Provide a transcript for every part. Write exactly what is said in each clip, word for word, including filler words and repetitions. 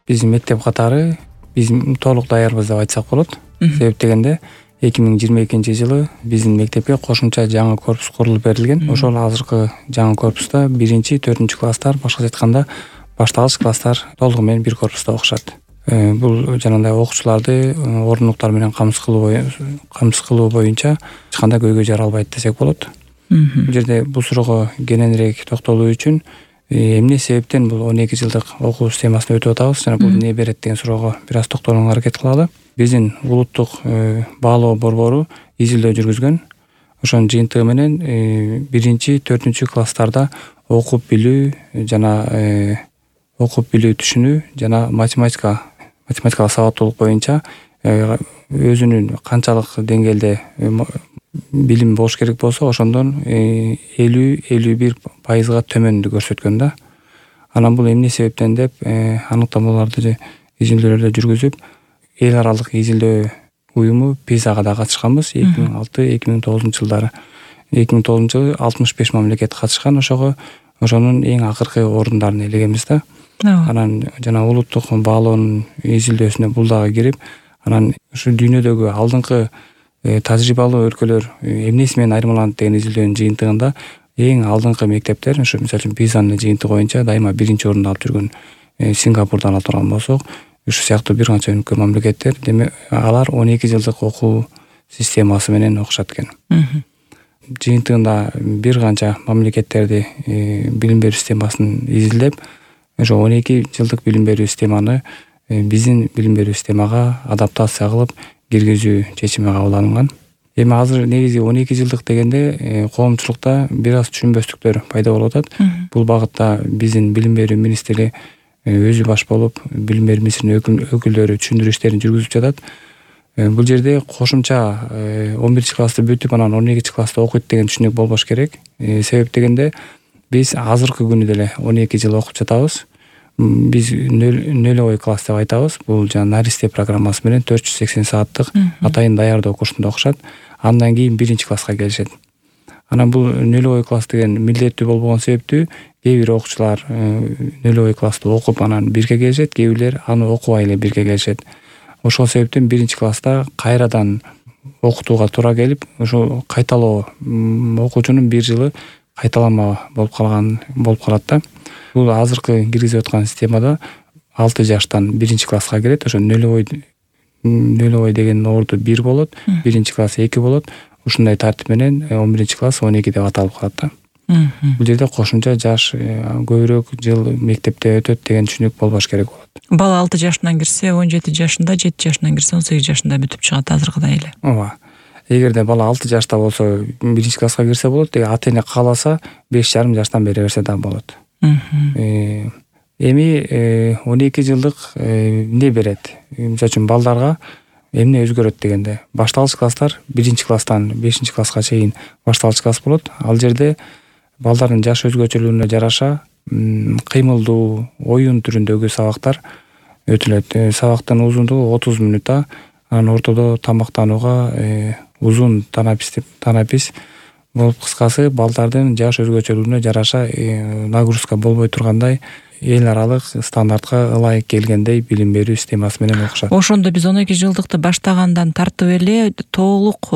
Биздин мектеп катары биз толук даярбыз деп айтсак болот. Себеп дегенде эки миң жыйырма экинчи жылы биздин мектепке кошумча жаңы корпус курулуп берилген. Ошол азыркы жаңы корпуста биринчи, төртүнчү класстар, башкача айтканда башталгыч класстар толугу менен бир корпуста окушат. Бул жанагындай окуучуларды ордундуктар менен камсыз кылуу камсыз кылуу боюнча эч кандай көйгөй жаралбайт десек болот. Бул жерде бул суроого кененирээк токтолуу үчүн эмне себептен бул он эки жылдык окуу системасын өтүп атабыз жана бул эмне берет деген суроого бир аз токтолууга аракет кылалы. Биздин улуттук баалоо борбору изилдөө жүргүзгөн. Ошонун жыйынтыгы менен биринчи, төртүнчү класстарда окуп билүү жана окуп билүү түшүнүү жана математика математикалык сабаттуулук боюнча өзүнүн канчалык деңгээлде билим болуш керек болсо ошондон элүү элүү бир пайызга төмөндү көрсөткөн да. Анан бул эмне себептен деп аныктамаларды изилдөөлөрдү жүргүзүп эл аралык изилдөө уюму пизага да катышканбыз эки миң алты эки миң тогузунчу жылдары. эки миң тогузунчу жылы алтымыш беш мамлекет катышкан. Ошого ошонун эң акыркы орундарын ээлегенбиз да. Анан жана улуттук баалоонун изилдөөсүнө бул дагы кирип, анан ушу дүйнөдөгү алдыңкы тажрыйбалуу өлкөлөр эмнеси менен айырмаланат деген изилдөөнүн жыйынтыгында эң алдыңкы мектептер, ушу мисалы үчүн пизанын жыйынтыгы боюнча дайыма биринчи орунду алып жүргөн Сингапурдан алып турган болсок, ушу сыяктуу бир канча өлкө мамлекеттер, демек алар он эки жылдык окуу системасы менен окушат экен. Жыйынтыгында бир канча мамлекеттерди билим берүү системасын изилдеп, ошо он эки жылдык билим берүү системаны биздин билим берүү системага адаптация кылып киргизүү чечими кабыл алынган. Эми азыр негизи он эки жылдык дегенде коомчулукта бир аз түшүнбөстүктөр пайда болуп атат. Бул багытта биздин билим берүү министри өзү баш болуп, билим берүү министринин өкүлдөрү түшүндүрүү иштерин жүргүзүп жатат. Бул жерде кошумча он биринчи классты бүтүп, анан он экинчи класста окуйт деген түшүнүк болбош керек. Себеп дегенде биз азыркы күнү деле он эки жыл окуп жатабыз. Биз нөлөй класс деп айтабыз. Бул жана наристе программасы менен төрт жүз сексен сааттык атайын даярдоо курсунда окушат. Андан кийин биринчи класска келишет. Анан бул нөлөй класс деген милдеттүү болбогон себептүү кээ бир окуучулар нөлөй классты окуп анан бирге келишет, кээ бирлер аны окубай эле бирге келишет. Ошол себептен биринчи класста кайрадан окутууга туура келип, ошо кайталоо окуучунун бир жылы кайталама болуп калган болуп калат да. Бул азыркы киргизип аткан системада алты жаштан биринчи класска кирет. Ошо нөлөй нөлөй деген орду бир болот, биринчи класс эки болот. Ушундай тартип менен он биринчи класс он эки деп аталып калат да. Бул жерде кошумча жаш көбүрөөк жыл мектепте өтөт деген түшүнүк болбош керек болот. Бала алты жашынан кирсе, он жети жашында, жети жашынан кирсе, он сегиз жашында бүтүп чыгат азыркыдай эле. Ооба. Эгерде бала алты жашта болсо биринчи класска кирсе болот, деги ата-эне кааласа беш жарым жаштан бере берсе да болот. Эми он эки жылдык эмне берет? Мисалы үчүн балдарга эмне өзгөрөт дегенде, башталгыч класстар биринчи класстан бешинчи класска чейин башталгыч класс болот. Ал жерде балдардын жаш өзгөчөлүгүнө жараша кыймылдуу, оюн түрүндөгү сабактар өтүлөт. Сабактын узундугу отуз мүнөт, анан ортодо тамактанууга узун танапис танапис болуп, кыскасы балдардын жаш өзгөчөлүгүнө жараша нагрузка болбой тургандай эл аралык стандартка ылайык келгендей билим берүү системасы менен окушат. Ошондо биз он эки жылдыкты баштагандан тартып эле толук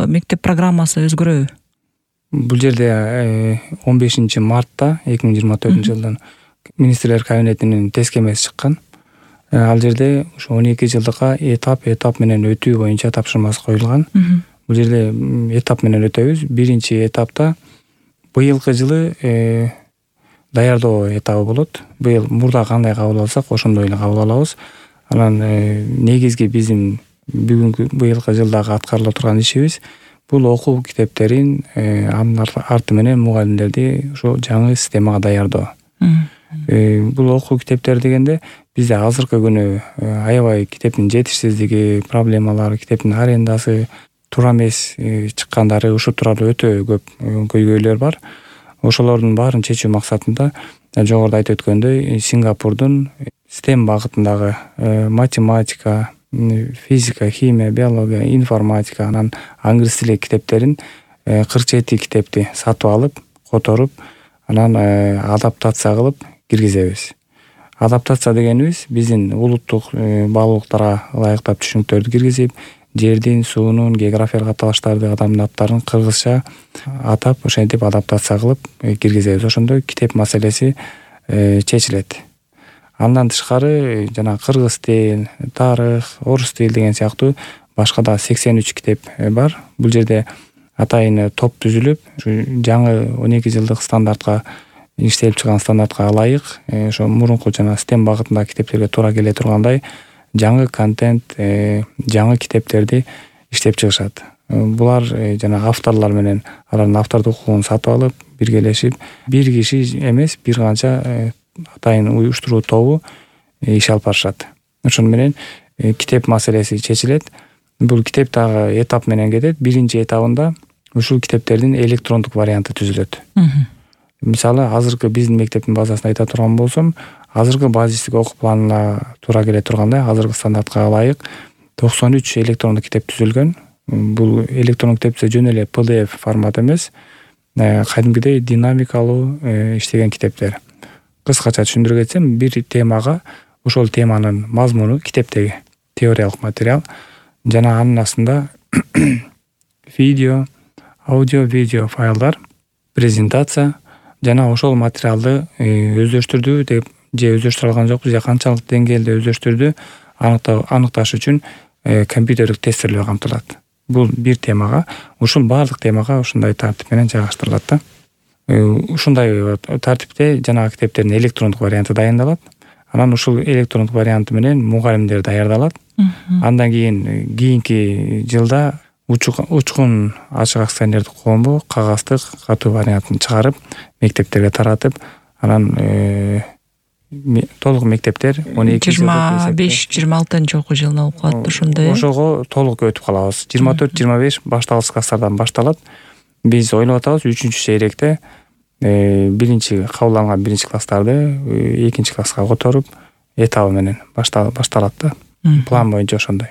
мектеп программасы өзгөрөбү? Бул жерде он бешинчи мартта эки миң жыйырма төртүнчү жылдын министрлер кабинетинин тескемеси чыккан. Ал жерде ушу он эки жылдыкка этап этап менен өтүү боюнча тапшырмасы коюлган. Бул жерде этап менен өтөбүз. Биринчи этапта быйылкы жылы даярдоо этабы болот. Быйыл мурда кандай кабыл алсак, ошондой эле кабыл алабыз. Анан негизги биздин бүгүнкү быйылкы жылдагы аткарыла турган ишибиз бул окуу китептерин анын арты менен мугалимдерди ошо жаңы системага даярдоо. Бул окуу китептер дегенде бизде азыркы күнү аябай китептин жетишсиздиги, проблемалары, китептин арендасы туура эмес чыккандары, ушу тууралуу өтө көп көйгөйлөр бар. Ошолордун баарын чечүү максатында жогоруда айтып өткөндөй Сингапурдун STEM багытындагы математика, физика, химия, биология, информатика, анан англис тили китептерин кырк жети китепти сатып алып, которуп, анан адаптация кылып киргизебиз. Адаптация дегенибиз биздин улуттук баалуулуктарга ылайыктап түшүнүктөрдү киргизип, жердин, суунун, географиялык аталыштарды, адамдын аттарын кыргызча атап, ошентип адаптация кылып киргизебиз. Ошондо китеп маселеси чечилет. Андан тышкары жана кыргыз тил, тарых, орус тил деген сыяктуу башка да сексен үч китеп бар. Бул жерде атайын топ түзүлүп, жаңы он эки жылдык стандартка, иштелип чыккан стандартка ылайык, ошо мурунку жана стем багытындагы китептерге туура келе тургандай жаңы контент, жаңы китептерди иштеп чыгышат. Булар жана авторлор менен алардын автордук укугун сатып алып, биргелешип, бир киши эмес, бир канча атайын уюштуруу тобу иш алып барышат. Ошону менен китеп маселеси чечилет. Бул китеп дагы этап менен кетет. Биринчи этабында ушул китептердин электрондук варианты түзүлөт. Мисалы, азыркы биздин мектептин базасында айта турган болсом, азыркы базистик окуу планына туура келе тургандай, азыркы стандартка ылайык токсон үч электрондук китеп түзүлгөн. Бул электрондук китепте жөн эле пи ди эф формат эмес, кадимгидей динамикалуу иштеген китептер. Кыскача түшүндүрүп кетсем, бир темага ошол теманын мазмуну китептеги теориялык материал жана анын астында видео, аудио, видео файлдар, презентация жана ошол материалды өздөштүрдү деп же өздөштүрө алган жокпуз, же канчалык деңгээлде өздөштүрдү аныкташ үчүн компьютердик тестерлөө камтылат. Бул бир темага, ушул баардык темага ушундай тартип менен жайгаштырылат да. Ушундай тартипте жанагы китептердин электрондук варианты дайындалат. Анан ушул электрондук варианты менен мугалимдер даярдалат. Андан кийин кийинки жылда учкун ачык акционердик коому кагаздык катуу вариантын чыгарып, мектептерге таратып, анан толук мектептер он эки жыйырма беш жыйырма алтынчы окуу жылына окуп калат ошондой. Ошого толук өтүп калабыз. жыйырма төрт жыйырма беш башталгыч класстардан башталат. Биз ойлоп атабыз үчүнчү чейректе биринчи кабылданган биринчи класстарды экинчи класска которуп, этабы менен башталат да. План боюнча ошондой.